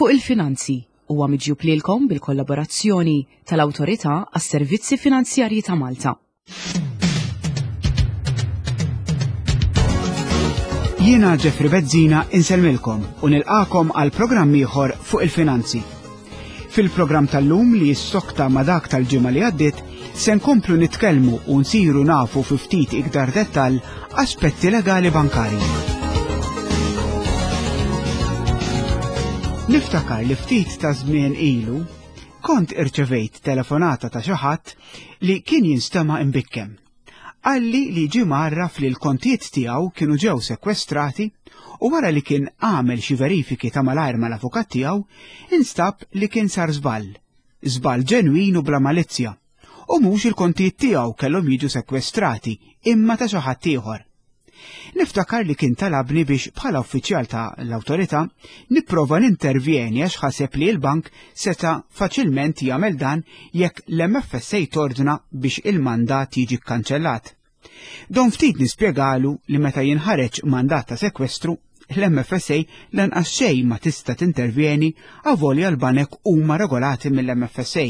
Fuq il-Finanzi huwa miġjub lilkom bil-kollaborazzjoni tal-Awtorità għas-Servizzi Finanzjarji ta' Malta. Jiena Jeffrey Bezzina insellmilkom u nilqakom għal programm ieħor fuq il-finanzi. Fil-programm tal-lum li jissokta ma' dak tal-ġimgħa li għaddiet, se nkomplu nitkellmu u nsiru nafu fi ftit iktar dettall aspetti legali bankarji. Niftakar li ftit ta' żmien ilu kont irċevejt telefonata ta' xi ħadd li kien jinstema' imbikkem. Qalli li ġie mgħarraf li l-kontijiet tiegħu kienu ġew sekwestrati u wara li kien għamel xi verifiki ta' malajr mal-avukat tiegħu, instab li kien sar żball. Żball ġenwin u bla malizzja. U mhux il-kontijiet tiegħu kellhom jiġu sekwestrati, imma ta' xi ħadd ieħor. Niftakar li kien talabni biex bħala uffiċjal ta' l-awtorità nipprova nintervjeni għax ħaseb li l-bank seta' faċilment jagħmel dan jekk l-MFSA tordna biex il-mandat jiġi kkanċellat. Don ftit nispjegalu li meta jinħareġ mandat ta' sekwestru, l-MFSA lanqas xejn ma tista' tintervjeni avolja l-banek huma regolati mill-MFSA.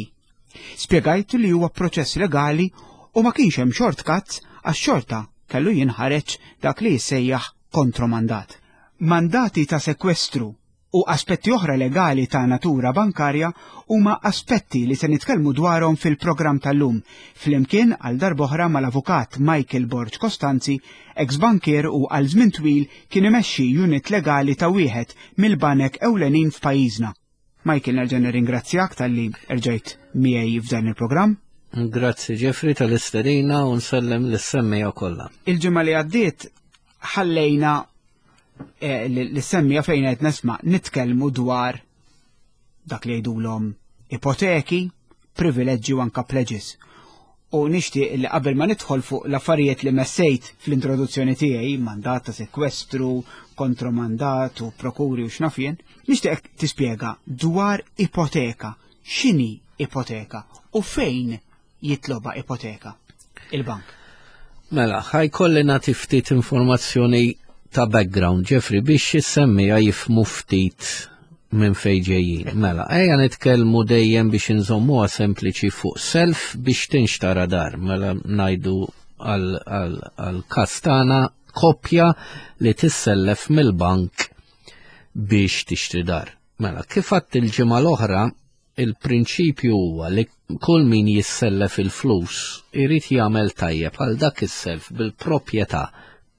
Spjegajtu li huwa proċess legali u ma kienx hemm shortcuts għax xorta kellu jinħareġ dak li jissejjaħ kontromandat. Mandati ta' sekwestru u aspetti oħra legali ta' natura bankarja huma aspetti li se nitkellmu dwarhom fil-programm tal-lum, flimkien għal darb'oħra mal-Avukat Michael Borg Costanzi, ex-bankier u għal żmien twil kien imexxi unit legali ta' wieħed mill-banek ewlenin f'pajjiżna. Michael, nerġa' nirringrazzjak talli erġajt miegħi f'dan il-programm. Grazzi Jeffrey tal-istedina u nsellem lis-semmija kollha. Il-ġimgħa li għaddiet ħallejna eh, l-semmija fejn qed nesma' nitkellmu dwar dak li jgħidulhom ipoteki, privileġġi u anka pledges. U nixtieq li qabel ma nidħol fuq l-affarijiet li messejt fl-introduzzjoni tiegħi, mandat ta' sekwestru, kontromandat u prokuri u x'naf jien, nixtieq tispjega dwar ipoteka. X'inhi ipoteka u fejn jitloba ipoteka il-bank? Mela, ħajkolli nagħti ftit informazzjoni ta' background, Jeffrey, biex is-semmija jifmu ftit minn fejn ġejjin. Mela, ejja nitkellmu dejjem biex inżommuha sempliċi fuq self biex tinxtara dar. Mela ngħidu għal każ tagħna koppja li tissellef mill-bank biex tixtri dar. Mela, kif għadt il-ġimgħa l-oħra, il-prinċipju huwa li kull min jissellef il-flus irid jagħmel tajjeb għal dak is-self bil-proprjetà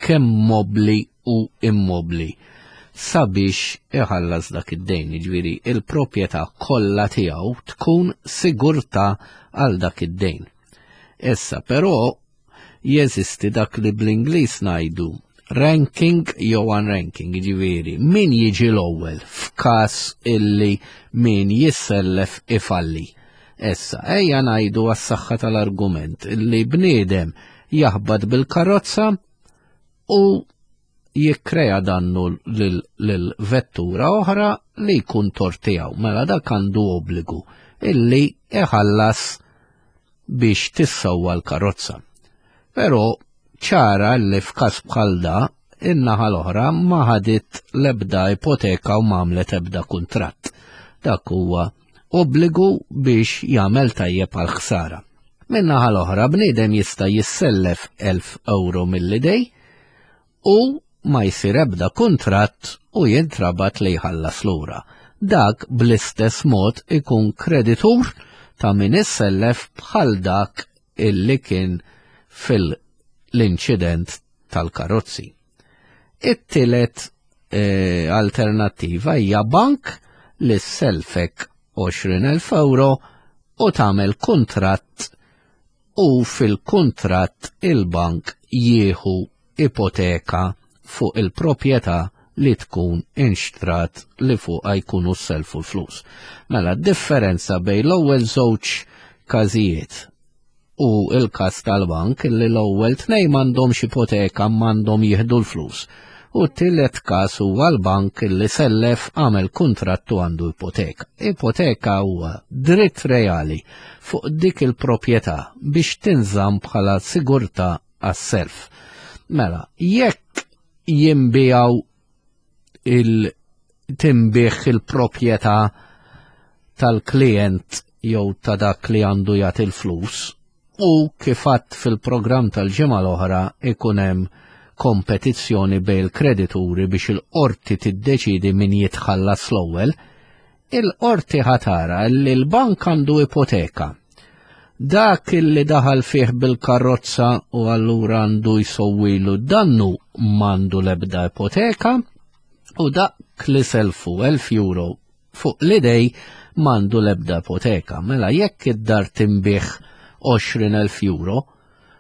kemm mobbli u immobbli sabiex iħallas dak id-dejn, jiġifieri il-proprjetà kollha tiegħu tkun sigurtà għal dak id-dejn. Issa però jeżisti dak li bl-Ingliż ngħidu ranking jew unranking, jiġifieri min jiġi l-ewwel f'każ illi min jissellef ifalli. Issa, ejja ngħidu għas-saħħa tal-argument illi bniedem jaħbat bil-karozza u jikkrea dannu lil vettura oħra li jkun tort tiegħu. Mela dak għandu obbligu illi iħallas biex tissewwa l-karozza. Però ċara li f'każ bħal da in-naħa l-oħra ma ħadit l-ebda ipoteka u ma għamlet ebda kuntratt. Dak huwa obbligu biex jagħmel tajjeb għal ħsara. Min-naħa l-oħra bniedem jista' jissellef 1000 euro mill-idej u ma jsir ebda kuntratt u jintrabat li jħallas lura. Dak bl-istess mod ikun kreditur ta' min issellef bħal dak illi kien fil-inċident tal-karozzi. It-tielet eh, alternattiva hija bank li selfek 20,000 euro u tagħmel kuntratt u fil-kuntratt il-bank jieħu ipoteka fuq il-proprjetà li tkun inxtrat li fuqha jkunu selfu l-flus. Mela, differenza bejn l-ewwel żewġ każijiet u l-każ tal-bank li l-ewwel tnejn m'għandhomx ipoteka m'għandhom jieħdu l-flus. U t-tielet każ huwa l-bank li sellef għamel kuntratt u għandu ipoteka. Ipoteka huwa dritt reali fuq dik il-proprjetà biex tinżamm bħala sigurtà għas-self. Mela, jekk jinbijaw il- tinbiegħ il-proprjetà tal-klijent jew ta' dak li għandu jagħti l-flus u kif għadt fil-programm tal-ġimgħa l-oħra ikun hemm kompetizzjoni bejn il-kredituri biex il-qorti tiddeċidi min jitħallas l-ewwel, il-qorti ħatara li l-bank għandu ipoteka. Dak li daħal fih bil-karozza u allura għandu jsowwilu dannu m'għandu l-ebda ipoteka u dak li selfu 1000 euro fuq l-idej m'għandu l-ebda ipoteka. Mela jekk id-dar tinbiegħ 20,000 euro,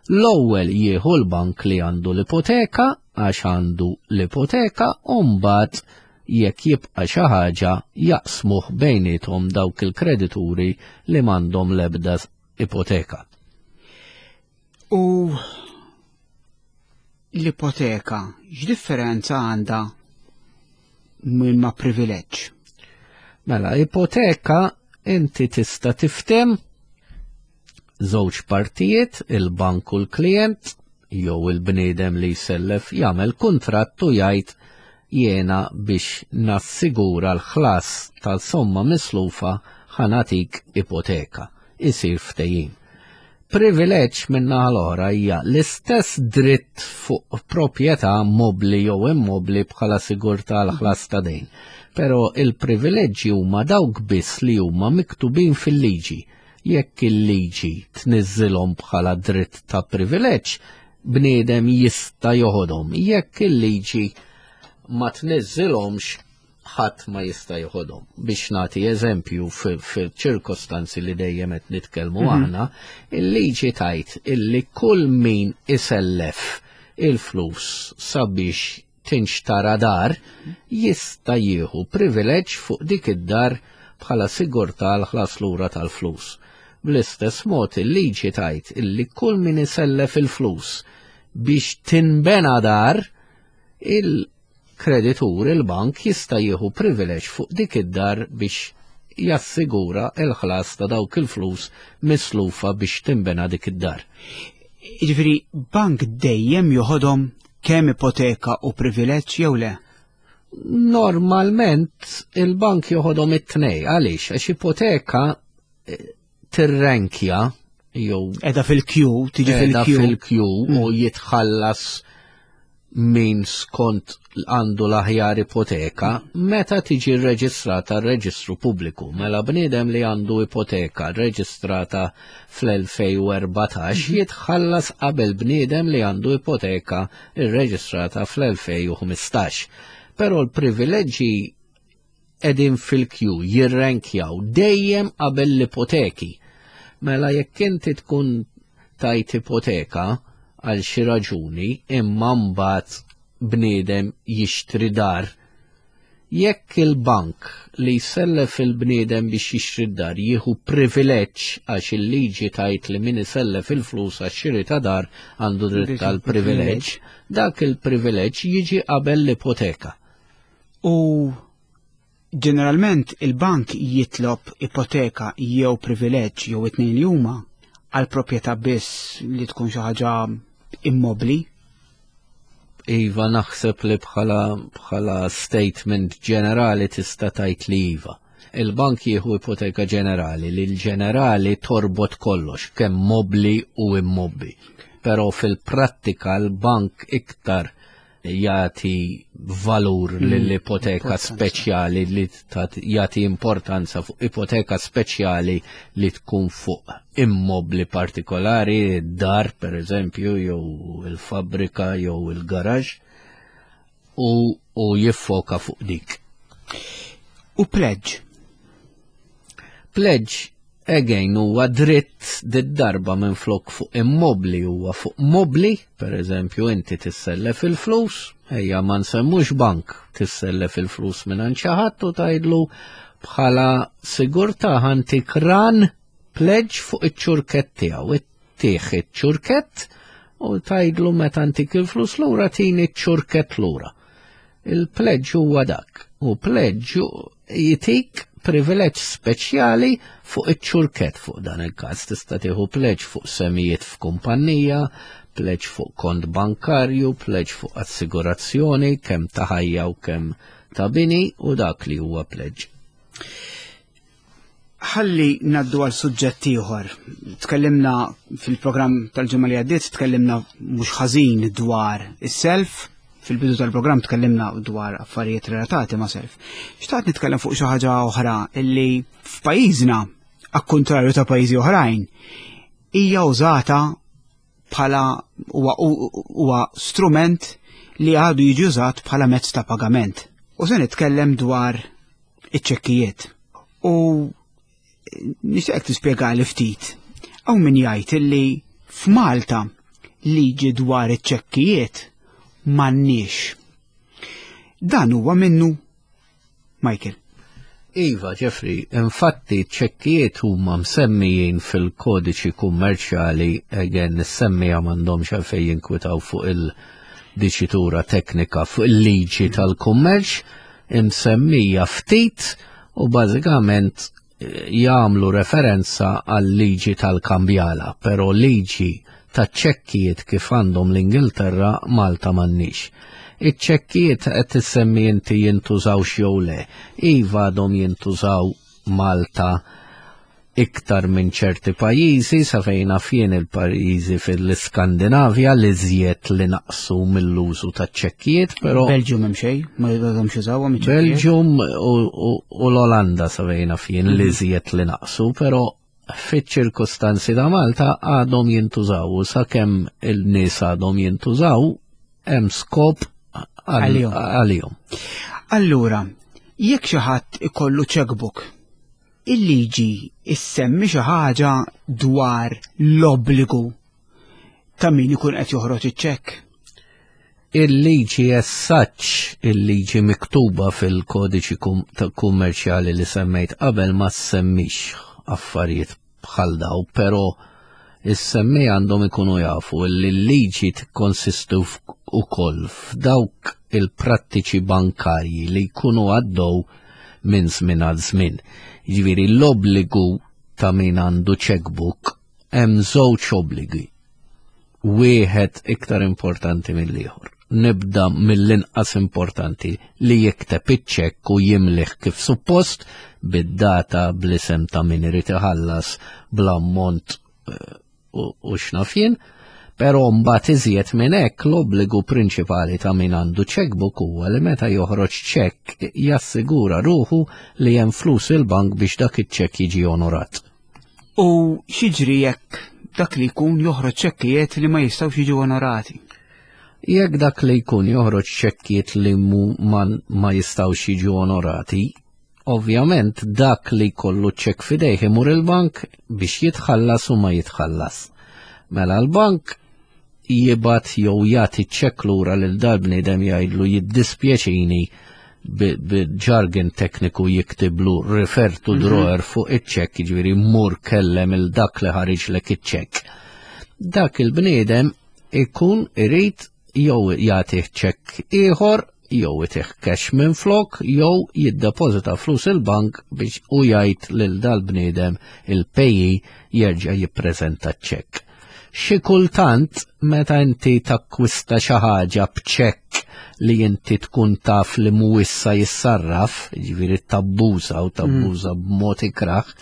l-ewwel jieħu l-bank li għandu l-ipoteka għax għandu l-ipoteka u mbagħad jekk jibqa' xi ħaġa jaqsmuh bejniethom dawk il-kredituri li m'għandhom l-ebda ipoteka. U l-ipoteka x'differenza għandha minn ma' privileġġ? Mela, ipoteka inti tista' tiftem żewġ partijiet, il-bank u l-klient, jew il-bniedem li jsellef jagħmel kuntratt u jgħid jiena biex nassigura l-ħlas tal-somma mislufa ħanatik ipoteka. Isir ftehim. Privileġġ min-naħa l-oħra hija l-istess dritt fuq proprjetà mobbli jew immobbli bħala sigurtà għal ħlas ta' dejn. Però il-privileġġi huma dawk biss li huma miktubin fil-liġi. Jekk il-liġi tniżżilhom bħala dritt ta' privileġġ, bniedem jista' joħodhom. Jekk il-liġi ma tniżżilhomx, ħadd ma jista' joħodhom. Biex nagħti eżempju fil-ċirkostanzi li dejjem qed nitkellmu mhm. aħna, il-liġi tajt illi kull min isellef il-flus sabiex tinxtara dar jista' jieħu privileġġ fuq dik id-dar bħala sigurtà għal ħlas lura tal-flus. Bl-istess mod il-liġi tajt illi kull min isellef il-flus biex tinbena dar il kreditur il-bank jista' jieħu privileġġ fuq dik id-dar biex jassigura l-ħlas ta' dawk il-flus mislufa biex tinbena dik id-dar. Jiġifieri bank dejjem joħodhom kemm ipoteka u privileġġ jew le? Normalment il-bank joħodhom it-tnej, għaliex? Għax ipoteka eh, tirrenkja jew Edha fil-kju, tiġi fil-kju. fil-kju u mm. jitħallas min skont għandu l-aħjar ipoteka meta tiġi rreġistrata r-reġistru pubbliku. Mela bniedem li għandu ipoteka rreġistrata fl-2014 mhm. jitħallas qabel bniedem li għandu ipoteka rreġistrata fl-2015. Però l-privileġġi qegħdin fil-kju jirrenkjaw dejjem qabel l-ipoteki. Mela jekk inti tkun tajt ipoteka għal xi raġuni imma mbagħad bniedem jixtri dar, jekk il-bank li jsellef il-bniedem biex jixtri d-dar jieħu privileġġ għax il-liġi tajt li min isellef il-flus għax-xiri ta' dar għandu dritt għal privileġġ, dak il-privileġġ jiġi qabel l-ipoteka. U ġeneralment il-bank jitlob ipoteka jew privileġġ jew it-tnejn li huma għal proprjetà biss li tkun xi ħaġa immobbli. Iva naħseb li bħala bħala statement ġenerali tista' tgħid li iva. Il-bank jieħu ipoteka ġenerali li l-ġenerali torbot kollox kemm mobbli u immobbi. Però fil-prattika l-bank iktar jagħti valur mm, lill-ipoteka speċjali li jagħti importanza fuq ipoteka speċjali li tkun fuq immobli partikolari, dar per eżempju, jew il-fabbrika jew il-garaġ u, u jiffoka fuq dik. U pledge? Pledge Again huwa dritt did-darba minflok fuq immobli huwa fuq mobli, per eżempju inti tissellef il-flus, ejja ma nsemmux bank, tissellef il-flus minn xi ħadd u tgħidlu bħala sigurtà ħantik ran pledge fuq iċ-ċurkett tiegħu. Tih iċ-ċurkett u tgħidlu meta ntik il-flus lura tini ċ-ċurkett lura. Il-pledge huwa dak. U pledge jitik privileġġ speċjali fuq iċ-ċurkett fuq dan il-każ. Tista' tieħu pledge fuq semijiet f'kumpanija, pledge fuq kont bankarju, pledge fuq assigurazzjoni kemm ta' ħajja u kemm ta' bini u dak li huwa pledge. Ħalli naddu għal suġġett ieħor. Tkellimna fil-programm tal-ġimgħa li għaddiet, tkellimna mhux ħażin dwar is-self, fil-bidu tal-programm tkellimna dwar affarijiet relatati ma' self. Xtaqt nitkellem fuq xi ħaġa oħra illi f'pajjiżna, akkontrarju ta' pajjiżi oħrajn, hija użata bħala huwa strument li għadu jiġi użat bħala mezz ta' pagament. U se nitkellem dwar iċ-ċekkijiet. U nixtieqek tispjegali ftit. Hawn min jgħid illi f'Malta liġi dwar iċ-ċekkijiet m'għandniex. Dan huwa minnu Michael. Iva, Jeffrey, infatti ċekkijiet huma msemmijin fil-kodiċi kummerċjali, again, is-semmija m'għandhomx għalfejn jinkwitaw fuq il-diċitura teknika fuq il-liġi tal-kummerċ, imsemmija ftit u bażikament eh, jagħmlu referenza għal liġi tal-kambjala, però liġi ta' ċekkijiet kif għandhom l-Ingilterra Malta m'għandniex. Iċ-ċekkijiet qed issemmi inti jintużaw jew le. Iva għadhom jintużaw Malta iktar minn ċerti pajjiżi sa fejn naf jien il-pajjiżi fil-Iskandinavja li żjed li naqsu mill-użu ta' ċekkijiet, però Belġium hemm xejn, ma jgħadhomx jużawhom iċ-ċekkijiet. Belġium u l-Olanda sa fejn naf jien li żjed li naqsu, però fiċ-ċirkustanzi ta' Malta għadhom jintużaw u sakemm il-nies għadhom jintużaw hemm skop għalihom. Allura, jekk xi ħadd ikollu checkbook Il-liġi issemmi xi ħaġa dwar l-obbligu ta' min ikun qed joħroġ iċ-ċekk? Il-liġi as such, il-liġi miktuba fil-kodiċi kummerċjali li semmejt qabel ma semmix affarijiet bħal daw, però is-semmi għandhom ikunu jafu li l-liġi tikkonsisti wkoll f'dawk il-prattiċi bankarji li jkunu għaddew minn żmien għal żmien. Jiġifieri l-obbligu ta' min għandu checkbook hemm żewġ obbligi. Wieħed iktar importanti mill-ieħor. Nibda mill-inqas importanti li jikteb iċ-ċekk u jimlih kif suppost bid-data bl-isem ta' min irid iħallas bl-ammont eh, u x'naf jien. Però mbagħad iżjed minn hekk l-obbligu prinċipali ta' min għandu checkbook huwa li meta joħroġ ċekk jassigura ruħu li hemm flus il-bank biex dak iċ-ċekk jiġi onorat. U x'jiġri jekk dak li jkun joħroġ ċekkijiet li ma jistgħux jiġu onorati? Jekk dak li jkun joħroġ ċekkijiet li ma, ma jistgħux jiġu onorati, ovvjament dak li jkollu ċekk fidejh imur il-bank biex jitħallas u ma jitħallas. Mela l-bank jibgħat jew jagħti ċekk lura lil dal-bniedem jgħidlu jiddispjaċini bil-jargon tekniku jiktiblu refer to mhm. drawer fuq iċ-ċekk, jiġifieri mur kellem il dak li ħariġlek iċ-ċekk. Dak il-bniedem ikun irid jew jagħtih ċekk ieħor jew itih cash minn flok jew jiddepożita flus il-bank biex u jgħid lil dal-bniedem il-payee jerġa' jippreżenta ċekk. Xi kultant meta inti takkwista xi ħaġa b'ċekk li inti tkun taf li mhuwiex sa jissarraf, jiġifieri tabbuża u tabbuża mm. b'mod ikrah,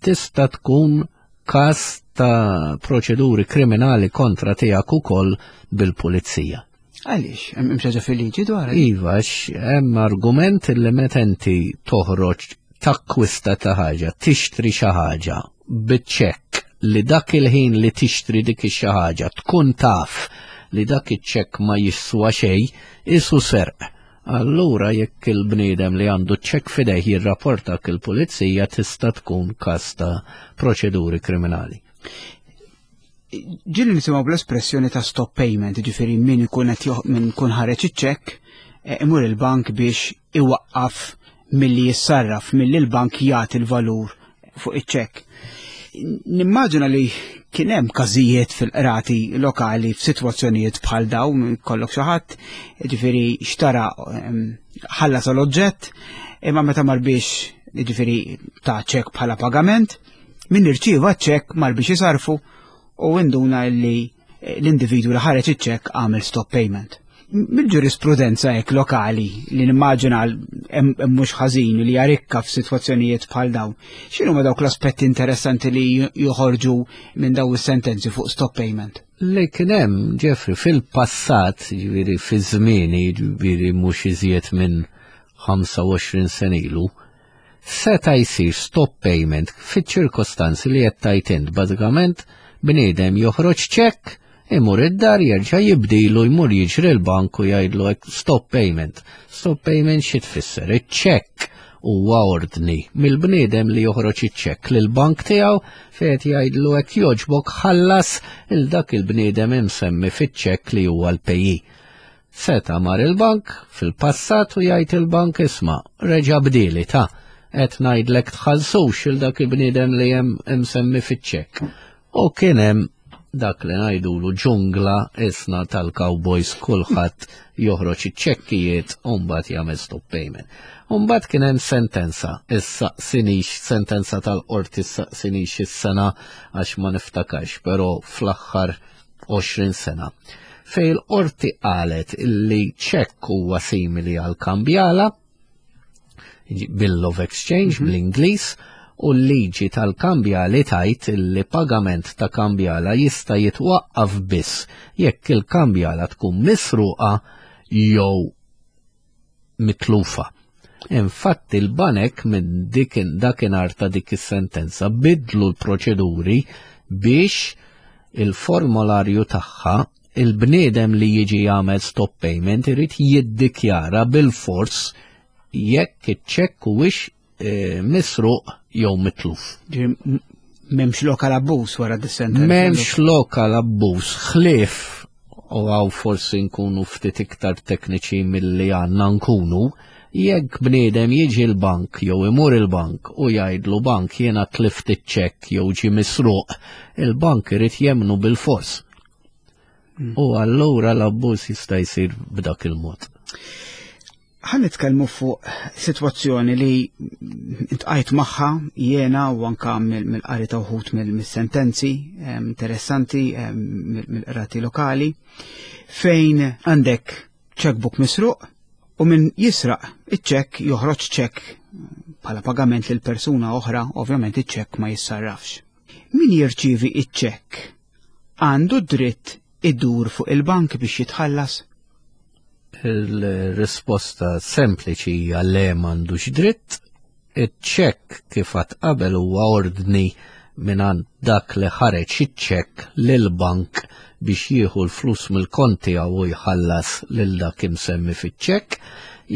tista' tkun każ ta' proċeduri kriminali kontra tiegħek ukoll bil-pulizija. Għaliex, hemm xi ħaġa fil-liġi dwar? Iva, hemm argument li meta inti toħroġ takkwista ta' ħaġa, tixtri xi ħaġa biċ-ċekk li dak il-ħin li tixtri dik xi ħaġa tkun taf li dak iċ-ċekk ma jiswa xejn, isu serq. Allura jekk il-bniedem li għandu ċekk fidejh jirrapportak il-pulizija tista' tkun każ ta' proċeduri kriminali. Ġieli nisimgħu bl-espressjoni ta' stop payment, ġifieri min ikun qed min ikun ħareġ iċ-ċekk eh, imur il-bank biex iwaqqaf milli jissarraf, milli l-bank jagħti l-valur fuq iċ-ċekk. Nimmaġina li kien hemm każijiet fil-qrati lokali f'sitwazzjonijiet bħal dawn, kollok xi ħadd, ġifieri xtara ehm, ħallas l-oġġett, imma meta mar biex ġifieri ta' ċekk bħala pagament, Min irċieva ċ-ċekk mar biex isarfu u induna li eh, l-individwu li ħareġ iċ-ċekk għamel stop payment. Mill-ġurisprudenza hekk lokali li nimmaġina hemm mhux ħażin li jarikka f'sitwazzjonijiet bħal dawn. X'inhuma dawk l-aspetti interessanti li joħorġu minn dawn is-sentenzi fuq stop payment? Li kien hemm, Jeffrey, fil-passat, ġifieri fi żmieni, ġifieri mhux iżjed minn 25 sena ilu, seta' jsir stop payment fiċ-ċirkostanzi li qed tgħid int. Bażikament bniedem joħroġ ċekk, imur id-dar jerġa' jibdilu jmur jiġri l-bank u jgħidlu hekk stop payment. Stop payment xi tfisser? Iċ-ċekk huwa ordni mill-bniedem li joħroġ iċ-ċekk lill-bank tiegħu fejn qed jgħidlu hekk jogħġbok ħallas il dak il-bniedem imsemmi fiċ-ċekk li huwa l-payee. Seta' mar il-bank fil-passat u jgħid il-bank isma' reġa' bdieli ta' qed ngħidlek tħallsux il dak il-bniedem li hemm imsemmi fiċ-ċekk. U kien hemm dak li ngħidulu ġungla isna tal-cowboys kulħadd joħroġ iċ-ċekkijiet u mbagħad jagħmel stop payment. U mbagħad kien hemm sentenza, issaqsinix sentenza tal-qorti issaqsinix is-sena għax ma niftakarx, però fl-aħħar 20 sena, fejn il-qorti qalet illi ċekk huwa simili għal kambjala, Bill of Exchange bl-Ingliż, u l-liġi tal-kambjali tajt illi pagament ta' kambjala jista' jitwaqqaf biss jekk il-kambjala tkun misruqa jew mitlufa. Infatti l-banek minn dik dakinhar ta' dik is-sentenza bidlu l-proċeduri biex il-formolarju tagħha il-bniedem li jiġi jagħmel stop payment irid jiddikjara bil-fors jekk iċ-ċekk huwiex eh, misruq jew mitluf. Memx lokal abbuż wara dis-sentenza. Memx lokal abbuż, ħlief u għaw forsi nkunu ftit iktar tekniċi milli għandna nkunu, jekk bniedem jiġi l-bank jew imur il-bank u jgħidlu bank jiena tlift iċ-ċekk jew ġie misruq, il-bank irid jemnu bil-fors. U allura l-abbuż jista' jsir b'dak il-mod. Ħa nitkellmu fuq sitwazzjoni li intqajt magħha jiena u anka mill-qari ta' wħud mill-sentenzi interessanti mill-qrati lokali fejn għandek checkbook misruq u min jisraq iċ-ċekk joħroġ ċekk bħala pagament lil persuna oħra, ovvjament iċ-ċekk ma jissarrafx. Min jirċievi iċ-ċekk għandu dritt idur fuq il-bank biex jitħallas? Il-risposta sempliċi hija le m'għandux dritt. Iċ-ċekk kif għad qabel huwa ordni mingħand dak li ħareġ iċ-ċekk lill-bank biex jieħu l-flus mill-kont tiegħu u jħallas lil dak imsemmi fiċ-ċekk.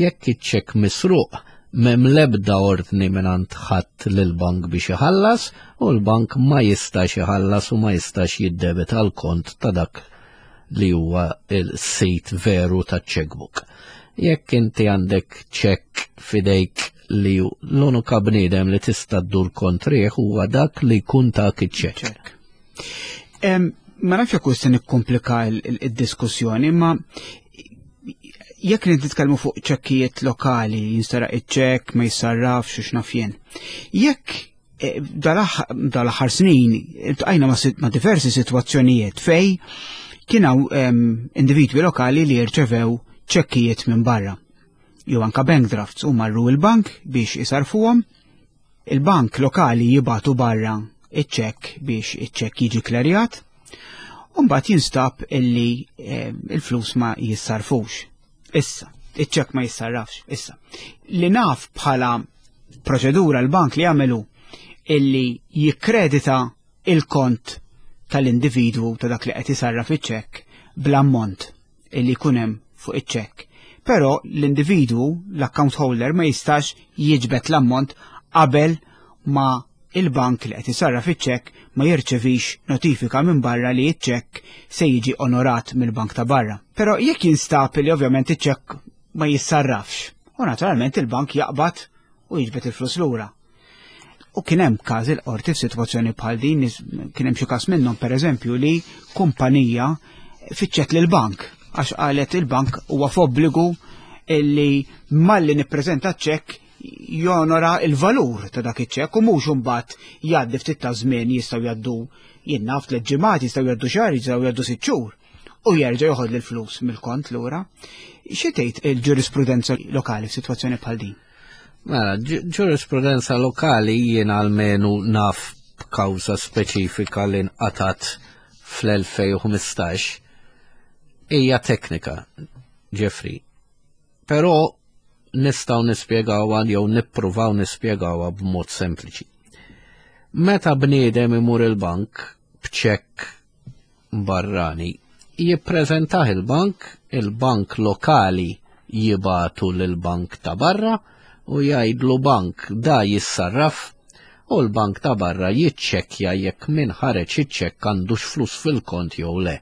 Jekk iċ-ċekk misruq, m'hemm l-ebda ordni mingħand ħadd lill-bank biex iħallas u l-bank ma jistax iħallas u ma jistax jiddebita l-kont ta' dak li huwa il-sit veru ta' checkbook. Jekk inti għandek ċekk fidejk li l-unika bniedem li tista' ddur kontrih huwa dak li jkun tak iċ-ċekk. Ma nafx jekk se nikkomplika il-diskussjoni, ma jekk nitkellmu fuq ċekkijiet lokali, jinstaraq iċ-ċekk, ma jissarrafx u x'naf jien. Jekk Eh, dal-aħħar snin iltqajna ma' diversi sitwazzjonijiet fej kien hawn ehm, individwi lokali li jirċevew ċekkijiet minn barra. Jew anka bank drafts u marru il-bank biex isarfuhom. Il-bank lokali jibatu barra iċ-ċekk biex iċ-ċekk jiġi klerjat. U mbagħad jinstab illi ehm, il-flus ma jissarfux. Issa, iċ-ċekk ma jissarrafx, issa. Li naf bħala proċedura l-bank li jagħmelu illi jikkredita il-kont tal-individwu ta' dak li qed jisarraf iċ-ċekk bl-ammont illi jkun hemm fuq iċ-ċekk. Però l-individwu, l-account holder, ma jistax jiġbed l-ammont qabel ma il-bank li qed isarraf iċ-ċekk ma jirċevix notifika minn barra li ċ-ċekk se jiġi onorat mill-bank ta' barra. Però jekk jinstab li ovvjament iċ-ċekk ma jissarrafx, u naturalment il-bank jaqbad u jiġbed il-flus lura. U kien hemm każ il-qorti f'sitwazzjoni bħal din, kien hemm xi każ minnhom pereżempju li kumpanija fittxet lil bank għax qalet il-bank huwa f'obbligu illi malli nippreżenta ċekk jonora il-valur ta' dak iċ-ċekk u mhux imbagħad jgħaddi ftit ta' żmien jistgħu jgħaddu jien naf tliet ġimgħat, jistgħu jgħaddu xahar, jistgħu jgħaddu sitt xhur. u jerġa' joħod l-flus mill-kont lura. Xi tgħid il-ġurisprudenza lokali f'sitwazzjoni bħal din? Mela, ġurisprudenza lokali jien almenu naf b'kawża speċifika li nqatat fl-2015 hija teknika, Jeffrey. Però nistgħu nispjegawha jew nippruvaw nispjegawha b'mod sempliċi. Meta bniedem imur il-bank b'ċekk barrani, jippreżentah il-bank, il-bank lokali jibatu lill-bank ta' barra u jgħidlu bank da jissarraf u l-bank ta' barra jiċċekkja jekk min ħareġ iċ-ċekk għandux flus fil-kont jew le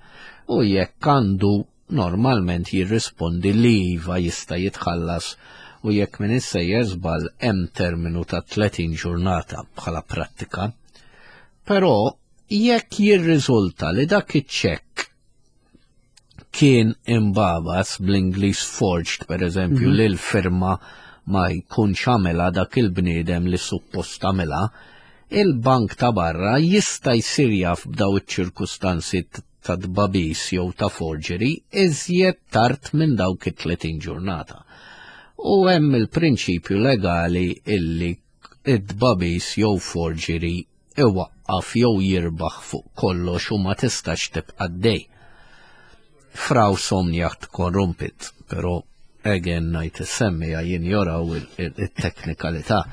u jekk għandu normalment jirrispondi li iva jista' jitħallas u jekk min issejjer żball hemm terminu ta' 30 ġurnata bħala prattika. Però jekk jirriżulta li dak iċ-ċekk kien imbabas bl-Ingliż forged per eżempju mm -hmm. li l-firma ma jkunx għamela dak il-bniedem li suppost għamela, il-bank ta' barra jista' jsir jaf b'daw iċ-ċirkustanzi ta' tbabis jew ta' forgery iżjed tard minn dawk it-30 ġurnata. U hemm il-prinċipju legali illi it-tbabis jew forgery iwaqqaf jew jirbaħ fuq kollox u ma tistax tibqa' dej. Fraw somniacht korrumpit, però again ngħid is-semmija jinjoraw it-teknikalità.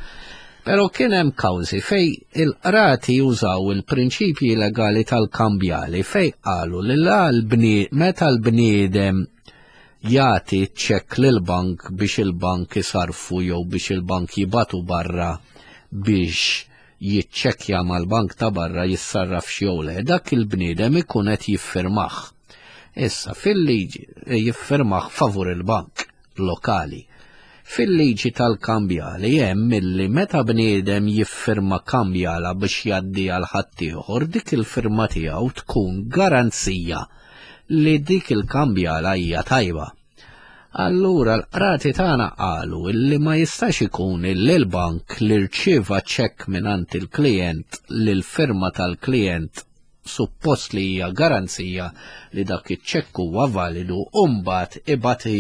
Però kien hemm kawżi fej il-qrati jużaw il-prinċipji legali tal-kambjali fej qalu li la meta l-bniedem jagħti ċekk lill-bank biex il-bank isarfu jew biex il-bank jibatu barra biex jiċċekkja mal-bank ta' barra jissarrafx jew le, dak il-bniedem ikun qed jiffirmah. Issa fil-liġi eh, jiffirmah favur il-bank lokali. Fil-liġi tal-kambjali hemm milli meta bniedem jiffirma kambjala biex jgħaddi għal ħaddieħor dik il-firma tiegħu tkun garanzija li dik il-kambjala hija tajba. Allura l-qrati tagħna qalu illi ma jistax ikun illi l-bank li rċieva ċekk mingħand il-klijent li l-firma tal-klijent suppost li hija garanzija li dak iċ-ċekk huwa validu u mbagħad ibati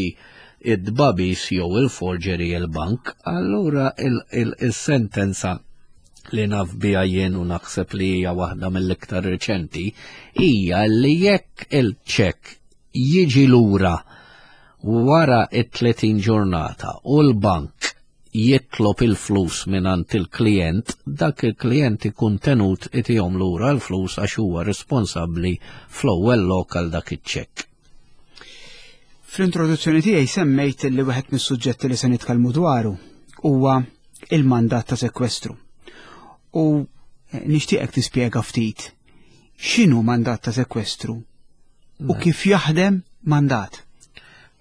id-dbabis jew il-forgery il-bank, allura il-sentenza li naf biha jien u naħseb li hija waħda mill-iktar riċenti hija li jekk il-ċekk jiġi lura wara it-30 ġurnata u l-bank jitlob il-flus mingħand il-klijent, dak il-klijent ikun tenut itihom lura l-flus għax huwa responsabbli fl-ewwel lok għal dak iċ-ċekk. Fl-introduzzjoni tiegħi semmejt li wieħed mis-suġġetti li se nitkellmu dwaru huwa il-mandat ta' sekwestru. U eh, nixtieqek tispjega ftit x'inhu mandat ta' sekwestru u mela. kif jaħdem mandat.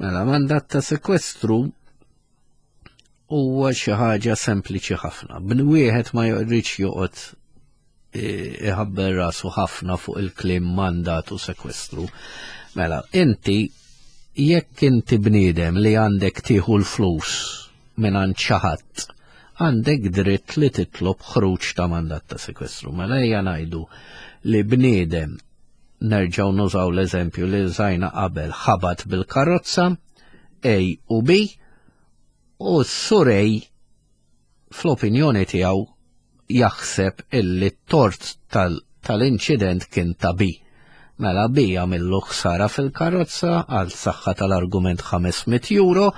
Mela, mandat ta' sekwestru huwa xi ħaġa sempliċi ħafna. B'wieħed ma jridx joqgħod iħabber rasu ħafna fuq il-kliem mandat u sekwestru. Mela, inti jekk inti bniedem li għandek tieħu l-flus minn għand xi ħadd, għandek dritt li titlob ħruġ ta' mandat ta' sekwestru. Mela ejja ngħidu li bniedem nerġgħu nużaw l-eżempju li użajna qabel ħabat bil-karozza A u B u s-surej fl-opinjoni tiegħu jaħseb illi t-tort tal-inċident kien ta' B. Mela B għamillu ħsara fil-karozza għal saħħa tal-argument 500 euro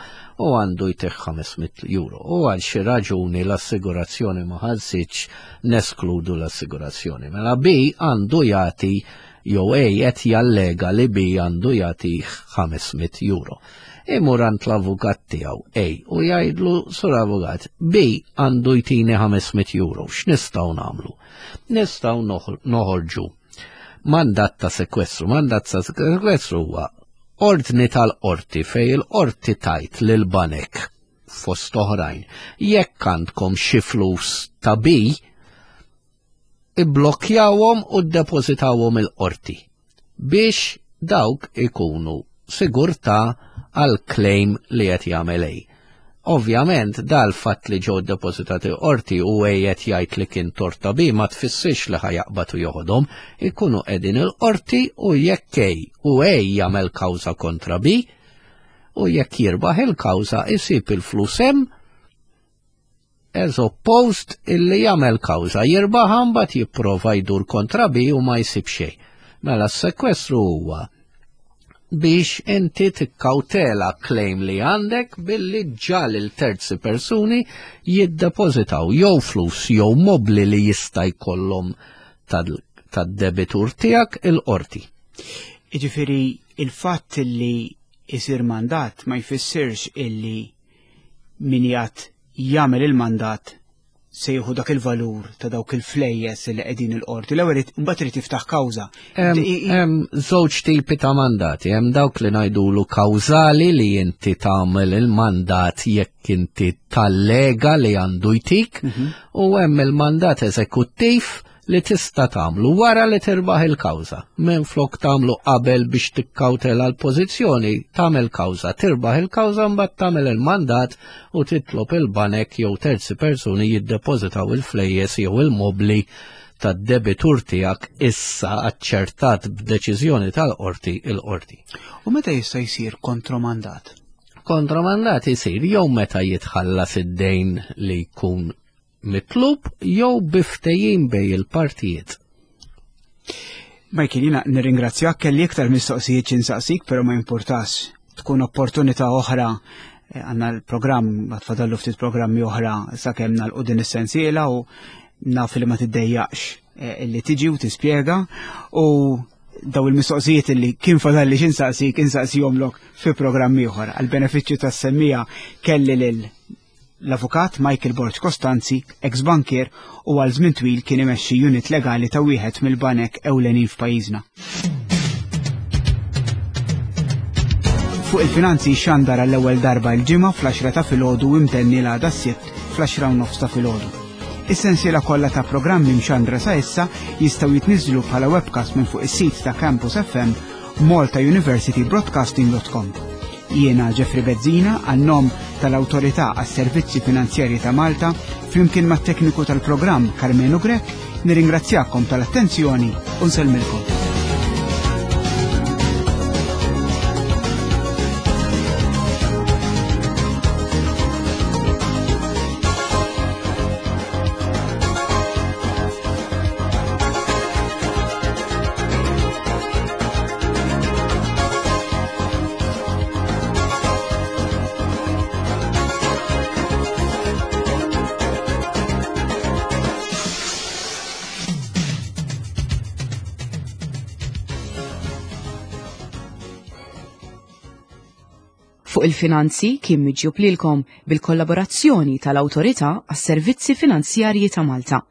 u għandu jtih 500 euro. U għal xi raġuni l-assigurazzjoni ma ħallsitx neskludu l-assigurazzjoni. Mela B għandu jagħti jew A qed jallega li B għandu jagħti 500 euro. Imur għand l-avukat tiegħu A u jgħidlu sur avukat B għandu jtini 500 euro. X'nistgħu nagħmlu? Nistgħu noħorġu mandat ta' sekwestru. Mandat ta' sekwestru huwa ordni tal-qorti fej il-qorti tajt lil banek fost oħrajn. Jekk għandkom xi flus ta' B, ibblokjawhom u ddepożitawhom il-qorti biex dawk ikunu sigurtà għal claim li qed jagħmel A. Ovvjament, dal-fatt li ġew depożitati qorti u qiegħed jgħid li kien torta bi ma tfissirx li ħajaqbad u joħodhom, ikunu qegħdin il-qorti u jekk A u A jagħmel kawża kontra B u jekk jirbaħ il-kawża isib il-flus hemm as opposed illi jagħmel kawża jirbaħ mbagħad jipprova jdur kontra B u ma jsib xejn. Mela s-sekwestru huwa biex inti tikkawtela claim li għandek billi ġal il-terzi persuni jiddepożitaw jew flus jew mobli li jista' jkollhom tad-debitur tiegħek il-qorti. Jiġifieri il-fatt li isir mandat ma jfissirx illi min jgħat jagħmel il-mandat se jieħu dak il-valur ta' dawk il-flejjes li qegħdin il-qorti. L-ewwel imbagħad irid jiftaħ kawża. Hemm żewġ tipi ta' mandati, hemm dawk li ngħidulu kawżali li inti tagħmel il-mandat jekk inti tallega li għandu jtik, mhm. u hemm il-mandat eżekuttiv li tista' tagħmlu wara li tirbaħ il-kawża. Minflok tagħmlu qabel biex tikkawtela l-pożizzjoni, tagħmel kawża, tirbaħ il-kawża mbagħad tagħmel il-mandat u titlob il-banek jew terzi persuni jiddepożitaw il-flejjes jew il-mobli tad-debitur tiegħek issa aċċertat b'deċiżjoni tal-qorti il-qorti. U meta jista' jsir kontromandat? Kontromandat isir jew meta jitħallas id-dejn li jkun mitlub jew bi ftehim bejn il-partijiet. Michael, jina nirringrazzjak kelli iktar mistoqsijiet xinsaqsik, pero ma importax tkun opportunità oħra eh, għanna l-programm, għatfadallu ftit programmi oħra sakemm nagħlqu din is-sensiela u naf li ma tiddejjaqx eh, li tiġi u tispjega u daw il-mistoqsijiet li kien fadalli xinsaqsik insaqsihomlok fi programm ieħor. Għal benefiċċju tas-semmija kelli lil L-Avukat Michael Borg Costanzi, ex-bankier u għal żmien twil kien imexxi unit legali ta' wieħed mill-banek ewlenin f'pajjiżna. Fuq il-finanzi xandar għall-ewwel darba l-ġimgħa fl-10 ta' filgħodu u imtenni l-għada s-sibt fl-10 u nofs ta' filgħodu. Is-sensiela kollha ta' programmi mxandra sa issa jistgħu jitniżżlu bħala webcast minn fuq is-sit ta' Campus FM maltauniversitybroadcasting.com. Jiena Jeffrey Bezzina għan-nom tal-Awtorità għas-Servizzi Finanzjarji ta' Malta flimkien mat-tekniku tal-programm Karmenu Grech nirringrazzjakom tal-attenzjoni u nsellmilkom. Fuq il-finanzi kien miġjub lilkom bil-kollaborazzjoni tal-Awtorità għas-Servizzi Finanzjarji ta' Malta.